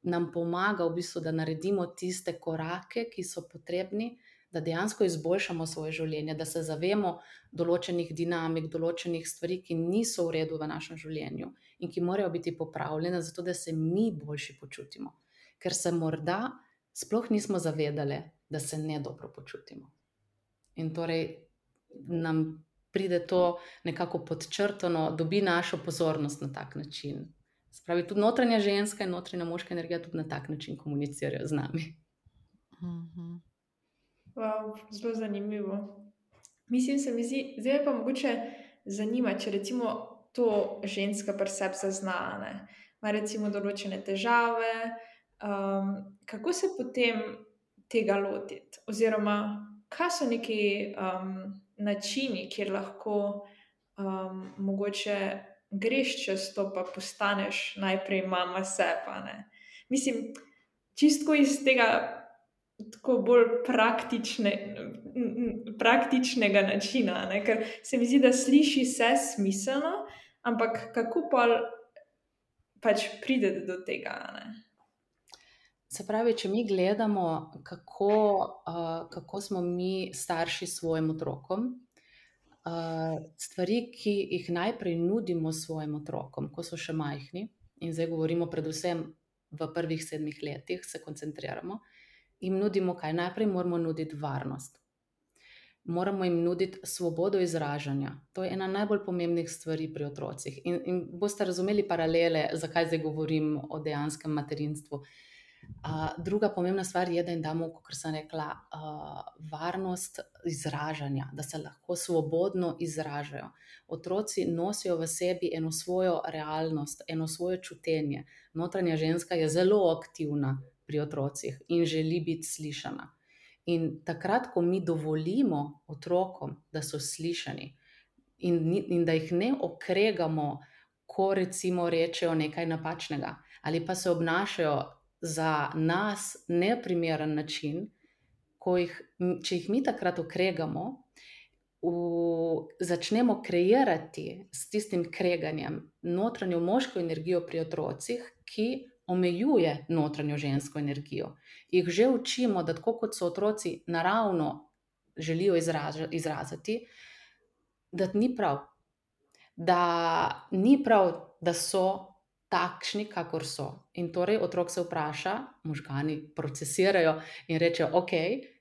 nam pomaga v bistvu, da naredimo tiste korake, ki so potrebni, da dejansko izboljšamo svoje življenje, da se zavemo določenih dinamik, določenih stvari, ki niso v redu v našem življenju in ki morajo biti popravljene, zato da se mi boljši počutimo. Ker se morda sploh nismo zavedale, da se ne dobro počutimo. In torej nam pride to nekako podčrtano, dobi našo pozornost na tak način. Spravi, tudi notranja ženska in notranja moška energija tudi na tak način komunicirajo z nami. Wow, zelo zanimivo. Mislim, se mi zdi, zdaj pa mogoče zanima, če recimo to ženska pri sebi zazna, ima recimo določene težave, kako se potem tega lotiti? Oziroma, kaj so neki načini, kjer lahko mogoče greš čez to, pa postaneš najprej mama sebe. Mislim, čisto iz tega tako bolj praktičnega načina, ker se mi zdi, da sliši se smiselno, ampak kako pač pride do tega? Se pravi, če mi gledamo, kako smo mi starši svojim otrokom, stvari, ki jih najprej nudimo svojim otrokom, ko so še majhni, in zdaj govorimo predvsem v prvih 7 letih, se koncentriramo, jim nudimo kaj? Najprej moramo nuditi varnost. Moramo jim nuditi svobodo izražanja. To je ena najbolj pomembnih stvari pri otrocih. In boste razumeli paralele, zakaj zdaj govorim o dejanskem materinstvu. Druga pomembna stvar je, da jim damo, kot sem rekla, varnost izražanja, da se lahko svobodno izražajo. Otroci nosijo v sebi eno svojo realnost, eno svoje čutenje. Notranja ženska je zelo aktivna pri otrocih in želi biti slišana. In takrat, ko mi dovolimo otrokom, da so slišani in da jih ne okregamo, ko recimo rečejo nekaj napačnega ali pa se obnašajo za nas neprimeren način, če jih mi takrat okregamo, začnemo kreirati s tistim kreganjem notranjo moško energijo pri otrocih, ki omejuje notranjo žensko energijo. Jih že učimo, da tako kot so otroci naravno želijo izraziti, da ni prav. Da ni prav, da so takšni, kakor so. In torej otrok se vpraša, možgani procesirajo in rečejo, ok,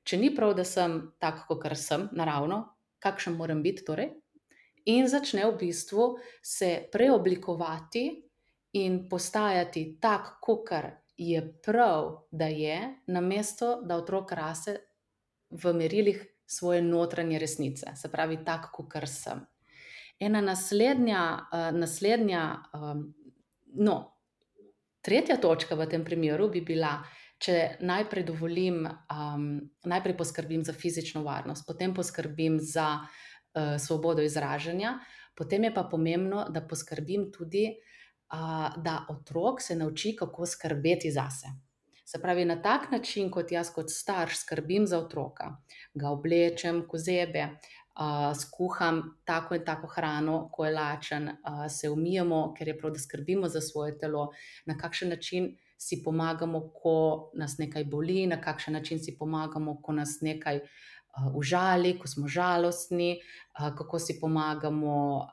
če ni prav, da sem tak, kakor sem, naravno, kakšen moram biti torej? In začne v bistvu se preoblikovati in postajati tak, kakor je prav, da je, namesto da otrok raste v merilih svoje notranje resnice, se pravi tak, kakor sem. Ena tretja točka v tem primeru bi bila, če najprej poskrbim za fizično varnost, potem poskrbim za svobodo izražanja, potem je pa pomembno, da poskrbim tudi, da otrok se nauči, kako skrbeti zase. Se pravi, na tak način, kot jaz kot starš skrbim za otroka, ga oblečem, ko zebe, skuham tako in tako hrano, ko je lačen, se umijemo, ker je prav, da skrbimo za svoje telo, na kakšen način si pomagamo, ko nas nekaj boli, na kakšen način si pomagamo, ko nas nekaj užali, ko smo žalostni, kako si pomagamo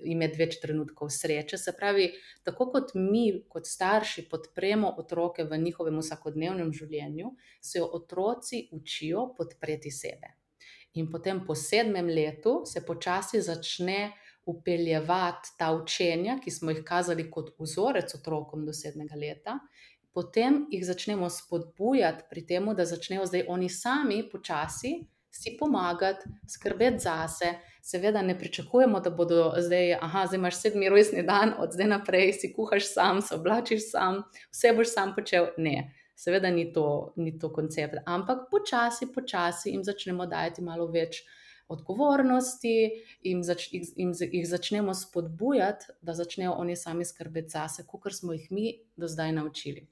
imeti več trenutkov sreče. Se pravi, tako kot mi, kot starši, podpremo otroke v njihovem vsakodnevnem življenju, se otroci učijo podpreti sebe. In potem po 7. letu se počasi začne vpeljevati ta učenja, ki smo jih kazali kot vzorec otrokom do 7. leta, potem jih začnemo spodbujati pri tem, da začnejo zdaj oni sami počasi si pomagati, skrbeti zase. Seveda ne pričakujemo, da bodo zdaj imaš 7. rojstni dan, od zdaj naprej si kuhaš sam, se oblačiš sam, vse boš sam počel. Ne. Seveda ni to koncept, ampak počasi jim začnemo dajati malo več odgovornosti, jih začnemo spodbujati, da začnejo oni sami skrbeti zase, kakor smo jih mi do zdaj naučili.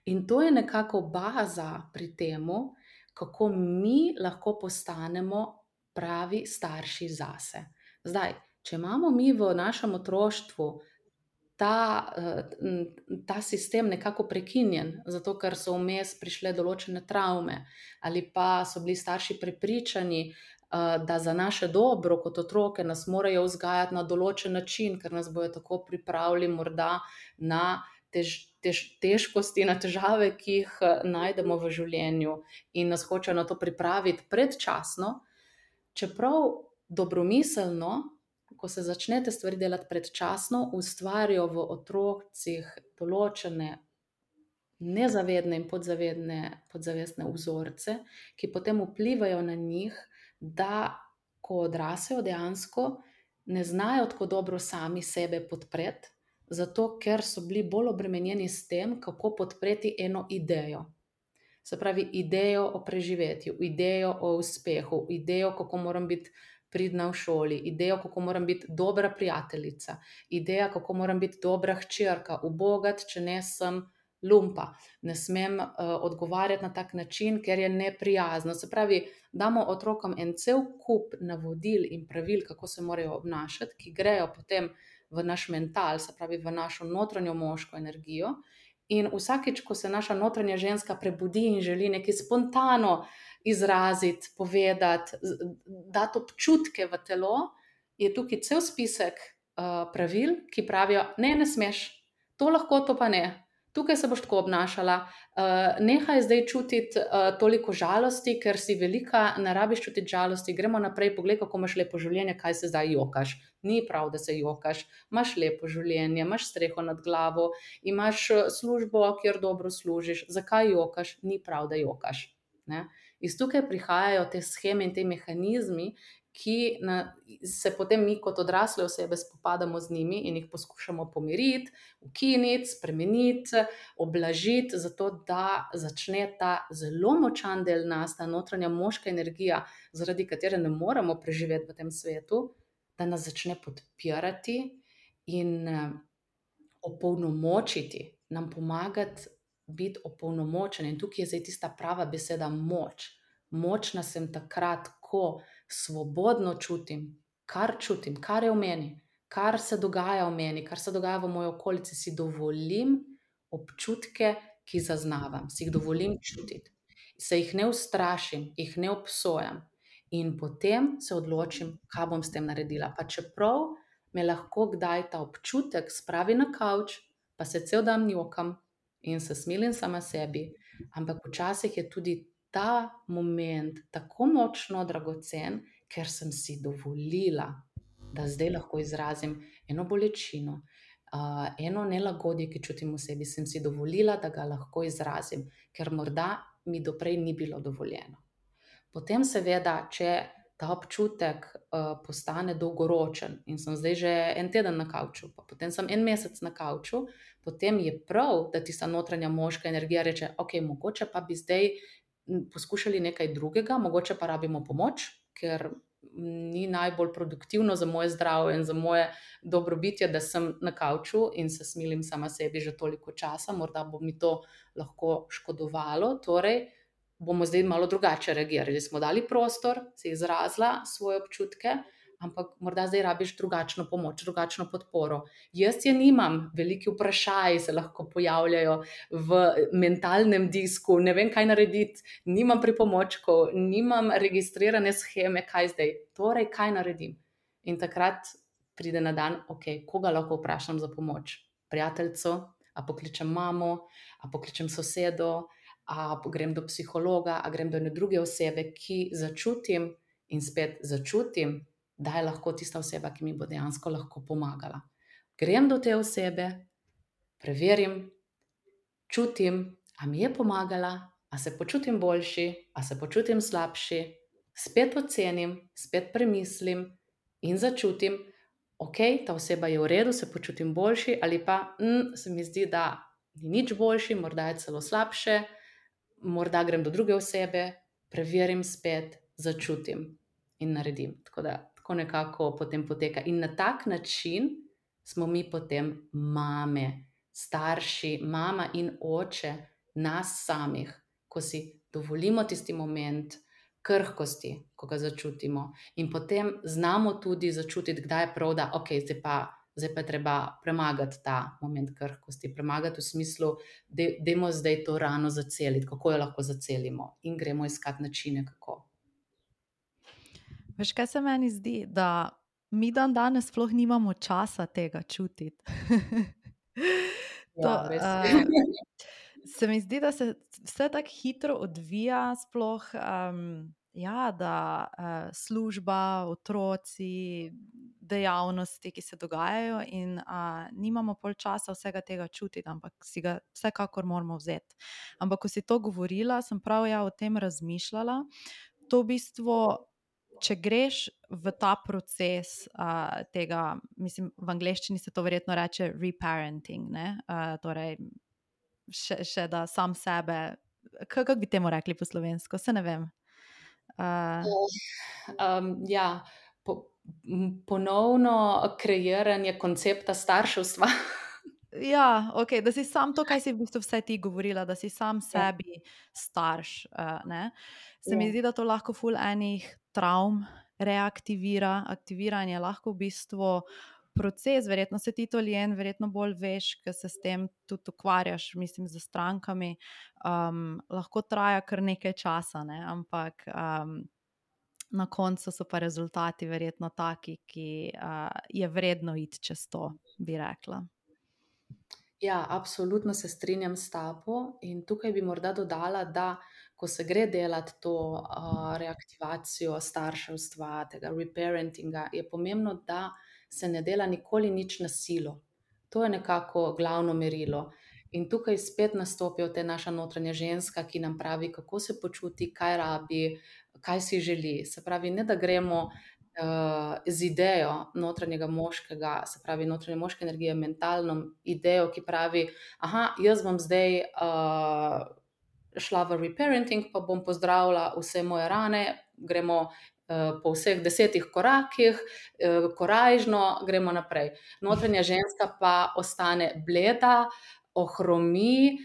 In to je nekako baza pri temu, kako mi lahko postanemo pravi starši zase. Zdaj, če imamo mi v našem otroštvu ta sistem nekako prekinjen, zato ker so vmes prišle določene travme, ali pa so bili starši prepričani, da za naše dobro kot otroke nas morajo vzgajati na določen način, ker nas bojo tako pripravili morda na težkosti, na težave, ki jih najdemo v življenju in nas hočejo na to pripraviti predčasno, čeprav dobromiselno, ko se začnete stvari delati predčasno, ustvarijo v otrocih določene nezavedne in podzavestne vzorce, ki potem vplivajo na njih, da ko odrasejo dejansko ne znajo tako dobro sami sebe podpreti, zato ker so bili bolj obremenjeni s tem, kako podpreti eno idejo. Se pravi, idejo o preživetju, idejo o uspehu, idejo, kako moram biti pridna v šoli, idejo, kako moram biti dobra prijateljica, ideja, kako moram biti dobra hčerka, ubogat, če ne sem lumpa, ne smem odgovarjati na tak način, ker je neprijazno. Se pravi, damo otrokom en cel kup navodil in pravil, kako se morajo obnašati, ki grejo potem v naš mental, se pravi v našo notranjo moško energijo. In vsakič, ko se naša notranja ženska prebudi in želi nekaj spontano izraziti, povedati, dati občutke v telo, je tukaj cel spisek pravil, ki pravijo, ne smeš, to lahko, to pa ne. Tukaj se boš tako obnašala, nehaj zdaj čutiti toliko žalosti, ker si velika, ne rabiš čutiti žalosti, gremo naprej, poglej, kako imaš lepo življenje, kaj se zdaj jokaš. Ni prav, da se jokaš, imaš lepo življenje, imaš streho nad glavo, imaš službo, kjer dobro služiš, zakaj jokaš? Ni prav, da jokaš. Ne? Iz tukaj prihajajo te sheme in te mehanizmi, ki se potem mi kot odrasle osebe spopadamo z njimi in jih poskušamo pomiriti, ukiniti, spremeniti, oblažiti, zato da začne ta zelo močan del nas, ta notranja moška energija, zaradi katere ne moremo preživeti v tem svetu, da nas začne podpirati in opolnomočiti nam pomagati biti opolnomočeni. In tukaj je zdaj tista prava beseda moč. Močna sem takrat, ko svobodno čutim, kar je v meni, kar se dogaja v meni, kar se dogaja v moji okolici, si dovolim občutke, ki zaznavam, si jih dovolim čutiti. Se jih ne ustrašim, jih ne obsojam in potem se odločim, kaj bom s tem naredila. Pa čeprav me lahko kdaj ta občutek spravi na kavč, pa se cel dan njokam in se smilim sama sebi, ampak včasih je tudi ta moment tako močno dragocen, ker sem si dovolila, da zdaj lahko izrazim eno bolečino, eno nelagodje, ki čutim v sebi, sem si dovolila, da ga lahko izrazim, ker morda mi doprej ni bilo dovoljeno. Potem seveda, če ta občutek postane dolgoročen in sem zdaj že en teden na kavču, pa potem sem en mesec na kavču, potem je prav, da tista notranja moška energija reče, ok, mogoče pa bi zdaj poskušali nekaj drugega, mogoče pa rabimo pomoč, ker ni najbolj produktivno za moje zdravje in za moje dobrobitje, da sem na kavču in se smilim sama sebi že toliko časa, morda bo mi to lahko škodovalo, torej bomo zdaj malo drugače reagirali. Smo dali prostor, si izrazila svoje občutke, ampak morda zdaj rabiš drugačno pomoč, drugačno podporo. Jaz je nimam, veliki vprašaji se lahko pojavljajo v mentalnem disku, ne vem, kaj narediti, nimam pripomočkov, nimam registrirane sheme, kaj zdaj, torej kaj naredim. In takrat pride na dan, ok, koga lahko vprašam za pomoč? Prijateljico, a pokličem mamo, a pokličem sosedo, a grem do psihologa, a grem do ene druge osebe, ki začutim in spet začutim, da je lahko tista oseba, ki mi bo dejansko lahko pomagala. Grem do te osebe, preverim, čutim, a mi je pomagala, a se počutim boljši, a se počutim slabši, spet ocenim, spet premislim in začutim, ok, ta oseba je v redu, se počutim boljši, ali pa se mi zdi, da ni nič boljši, morda je celo slabše, morda grem do druge osebe, preverim spet, začutim in naredim. Tako nekako potem poteka. In na tak način smo mi potem mame, starši, mama in oče nas samih, ko si dovolimo tisti moment krhkosti, ko ga začutimo. In potem znamo tudi začutiti, kdaj je prav, da ok, zdaj pa je treba premagati ta moment krhkosti, premagati v smislu, dajmo zdaj to rano zaceliti, kako jo lahko zacelimo in gremo iskati načine, kako. Veš, kaj se meni zdi, da mi danes sploh nimamo časa tega čutiti. Se mi zdi, da se vse tako hitro odvija, sploh da služba, otroci, dejavnosti, ki se dogajajo in nimamo pol časa vsega tega čutiti, ampak si ga vsekakor moramo vzeti. Ampak ko si to govorila, sem prav o tem razmišljala. To v bistvu, če greš v ta proces tega, mislim, v angleščini se to verjetno reče reparenting, ne? Torej, še da sam sebe, kako bi temu rekli po slovensko, se ne vem. Ponovno kreiranje koncepta starševstva. Ja, ok, da si sam to, kaj si v bistvu vse ti govorila, da si sam sebi starš, ne? Se mi zdi, da to lahko ful enih travm reaktivira, aktiviranje lahko v bistvu proces, verjetno se ti to, Ljen, verjetno bolj veš, ker se s tem tudi ukvarjaš, mislim, z strankami, lahko traja kar nekaj časa, ne? Ampak na koncu so pa rezultati verjetno taki, ki je vredno iti čez to, bi rekla. Ja, absolutno se strinjam s tabo in tukaj bi morda dodala, da ko se gre delati to reaktivacijo starševstva, tega reparentinga, je pomembno, da se ne dela nikoli nič na silo. To je nekako glavno merilo. In tukaj spet nastopijo te naša notranja ženska, ki nam pravi, kako se počuti, kaj rabi, kaj si želi. Se pravi, ne da gremo z idejo notranjega moškega, se pravi notranje moške energije, mentalno idejo, ki pravi, jaz bom zdaj šla v reparenting, pa bom pozdravila vse moje rane, gremo po vseh 10 korakih, korajžno, gremo naprej. Notranja ženska pa ostane bleda, ohromi,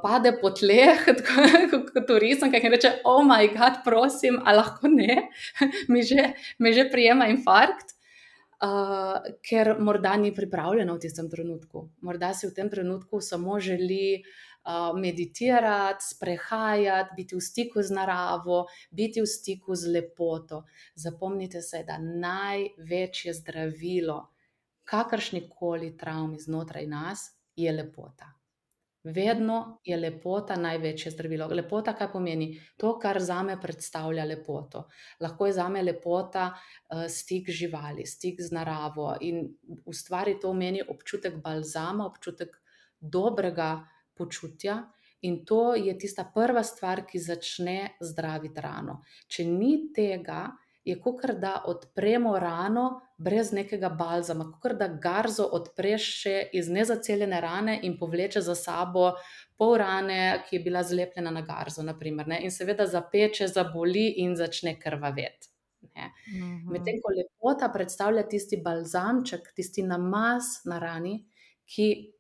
pade po tleh, kot v risankah in reče, oh my god, prosim, a lahko ne, me že prijema infarkt. Ker morda ni pripravljena v tistem trenutku. Morda si v tem trenutku samo želi meditirati, sprehajati, biti v stiku z naravo, biti v stiku z lepoto. Zapomnite se, da največje zdravilo kakršnikoli travmi znotraj nas je lepota. Vedno je lepota največje zdravilo. Lepota, kaj pomeni? To, kar zame predstavlja lepoto. Lahko je zame lepota stik živali, stik z naravo in ustvari to v meni občutek balzama, občutek dobrega počutja in to je tista prva stvar, ki začne zdraviti rano. Če ni tega, je kakor da odpremo rano brez nekega balzama, kakor da garzo odpreš še iz nezaceljene rane in povleče za sabo pol rane, ki je bila zlepljena na garzo, naprimer, ne? In seveda zapeče, zaboli in začne krvaveti. Medtem ko lepota predstavlja tisti balzamček, tisti namaz na rani, ki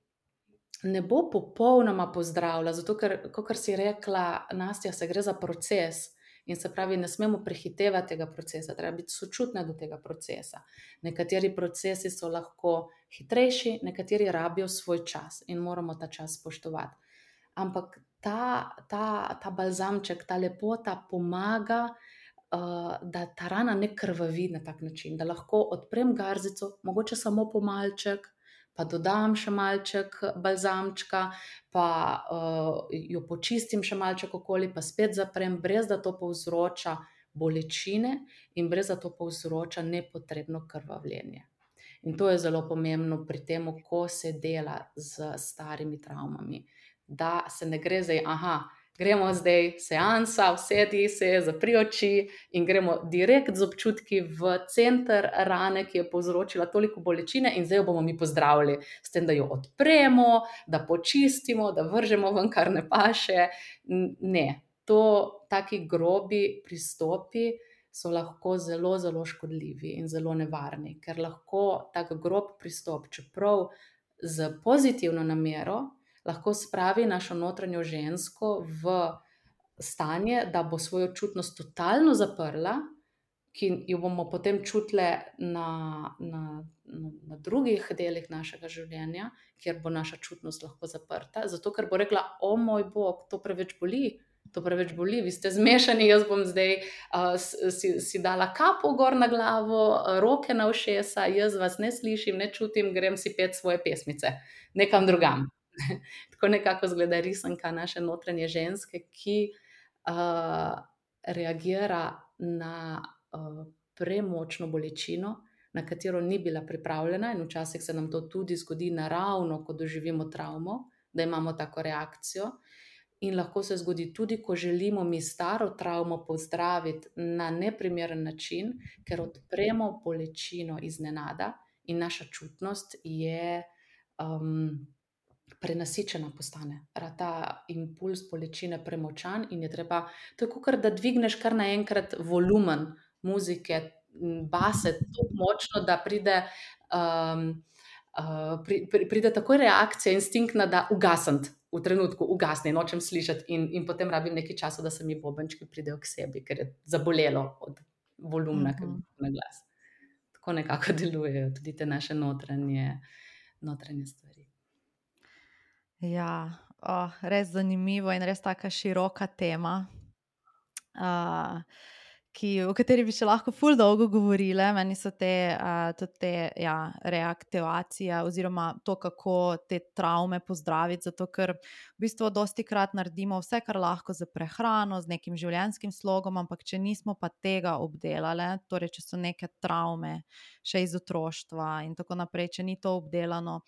ne bo popolnoma pozdravila, zato ker, kakor si rekla, Nastja, se gre za proces. In se pravi, ne smemo prehitevati tega procesa, treba biti sočutna do tega procesa. Nekateri procesi so lahko hitrejši, nekateri rabijo svoj čas in moramo ta čas spoštovati. Ampak ta balzamček, ta lepota pomaga, da ta rana ne krvavi na tak način, da lahko odprem garzico, mogoče samo pomalček, pa dodam še malček balzamčka, pa jo počistim še malček okoli, pa spet zaprem, brez da to povzroča bolečine in brez da to povzroča nepotrebno krvavljenje. In to je zelo pomembno pri tem, ko se dela z starimi travmami. Da se ne gre zdaj, gremo zdaj seansa, usedi se, zapri oči in gremo direkt z občutki v center rane, ki je povzročila toliko bolečine in zdaj jo bomo mi pozdravili s tem, da jo odpremo, da počistimo, da vržemo ven, kar ne paše. Ne, taki grobi pristopi so lahko zelo, zelo škodljivi in zelo nevarni, ker lahko tak grob pristop, čeprav z pozitivno namero, lahko spravi našo notranjo žensko v stanje, da bo svojo čutnost totalno zaprla, ki jo bomo potem čutile na drugih delih našega življenja, kjer bo naša čutnost lahko zaprta, zato ker bo rekla, o moj bog, to preveč boli, vi ste zmešani, jaz bom zdaj si dala kapo gor na glavo, roke na ušesa, jaz vas ne slišim, ne čutim, grem si pet svoje pesmice, nekam drugam. Tako nekako izgleda risanka naše notranje ženske, ki reagira na premočno bolečino, na katero ni bila pripravljena in včasih se nam to tudi zgodi naravno, ko doživimo travmo, da imamo tako reakcijo. In lahko se zgodi tudi, ko želimo mi staro travmo pozdraviti na neprimeren način, ker odpremo bolečino iznenada in naša čutnost je prenasičena postane. Ta impuls bolečine premočan in je treba, to je kakor da dvigneš kar naenkrat volumen muzike, base tako močno, da pride takoj reakcija instinktna, da ugasniti, v trenutku ugasne, nočem slišati in potem rabim nekaj časa, da se mi bobenčki pridejo k sebi, ker je zabolelo od volumna, ki je na glas. Tako nekako delujejo tudi te naše notranje stvari. Ja, res zanimivo in res taka široka tema, o kateri bi še lahko ful dolgo govorile. Meni so tudi te reaktivacije oziroma to, kako te travme pozdraviti, zato ker v bistvu dostikrat naredimo vse, kar lahko z prehrano, z nekim življenjskim slogom, ampak če nismo pa tega obdelale, torej če so neke travme še iz otroštva in tako naprej, če ni to obdelano,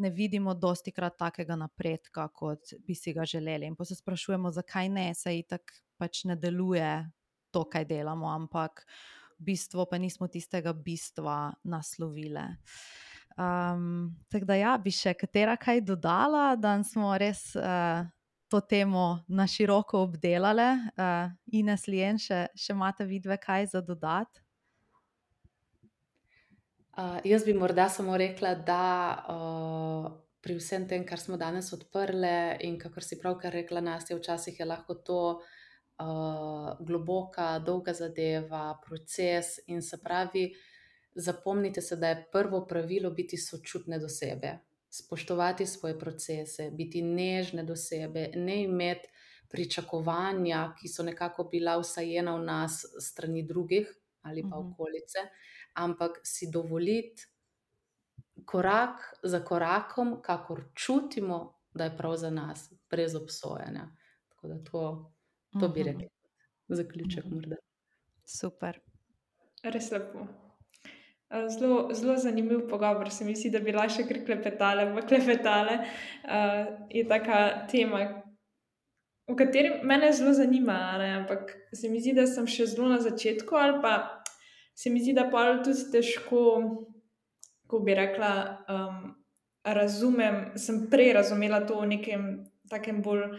ne vidimo dostikrat takega napredka, kot bi si ga želeli. In pa se sprašujemo, zakaj ne, saj itak pač ne deluje to, kaj delamo, ampak v bistvu pa nismo tistega bistva naslovile. Tako da bi še katera kaj dodala, da smo res to temo na široko obdelale. Ines, Lien, še imate vidve kaj za dodati? Jaz bi morda samo rekla, da pri vsem tem, kar smo danes odprle in kakor si pravkar rekla, Nastja, včasih je lahko to globoka, dolga zadeva, proces in se pravi, zapomnite se, da je prvo pravilo biti sočutne do sebe, spoštovati svoje procese, biti nežne do sebe, ne imeti pričakovanja, ki so nekako bila vsajena v nas strani drugih ali pa okolice, ampak si dovoliti korak za korakom, kakor čutimo, da je prav za nas, brez obsojanja. Tako da to bi rekla. Zaključek morda. Super. Res lepo. Zelo zanimiv pogovor, se mi zdi, da bi lahko še kar klepetale. Je taka tema, v kateri mene zelo zanima, ne? Ampak se mi zdi, da sem še zelo na začetku, ali pa se mi zdi, da pol tudi težko, ko bi rekla, sem prej razumela to v nekem takem bolj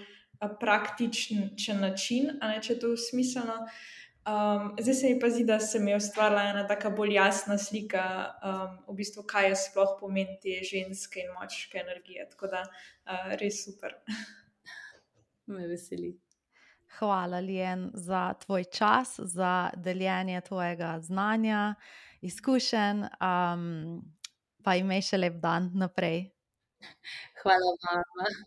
praktičen način, a ne, če je to smiselno. Zdaj se mi pa zdi, da se mi je ustvarila ena taka bolj jasna slika, v bistvu, kaj je sploh pomen te ženske in moške energije. Tako da res super. Me veseli. Hvala, Lien, za tvoj čas, za deljenje tvojega znanja, izkušenj, pa imej še lep dan naprej. Hvala vam.